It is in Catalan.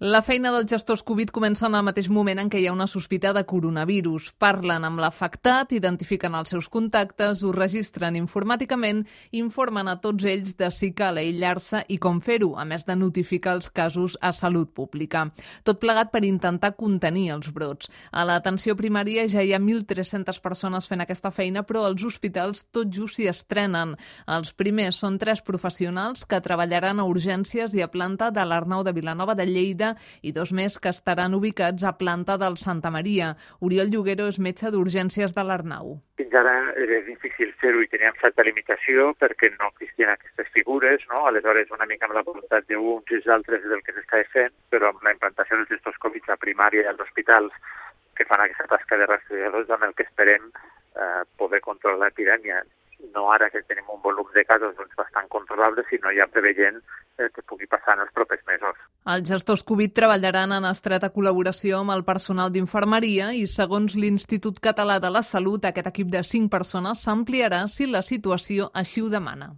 La feina dels gestors Covid comença en el mateix moment en què hi ha una sospita de coronavirus. Parlen amb l'afectat, identifiquen els seus contactes, ho registren informàticament, informen a tots ells de si cal aïllar-se i com fer-ho, a més de notificar els casos a Salut Pública. Tot plegat per intentar contenir els brots. A l'atenció primària ja hi ha 1.300 persones fent aquesta feina, però als hospitals tot just s'hi estrenen. Els primers són 3 professionals que treballaran a urgències i a planta de l'Arnau de Vilanova de Lleida i 2 més que estaran ubicats a planta del Santa Maria. Oriol Lloguero és metge d'urgències de l'Arnau. Fins ara era difícil fer-ho i teníem certa limitació perquè no existien aquestes figures, no? Aleshores, una mica amb la voluntat d'uns i els altres del que s'estava fent, però amb la implantació dels gestos Covid a primària i als hospitals que fan aquesta tasca de rastreadors amb el que esperem poder controlar l'epidèmia. No ara que tenim un volum de casos bastant controlable, sinó ja preveient que pugui passar en els propers mesos. Els gestors Covid treballaran en estreta col·laboració amb el personal d'infermeria i, segons l'Institut Català de la Salut, aquest equip de 5 persones s'ampliarà si la situació així ho demana.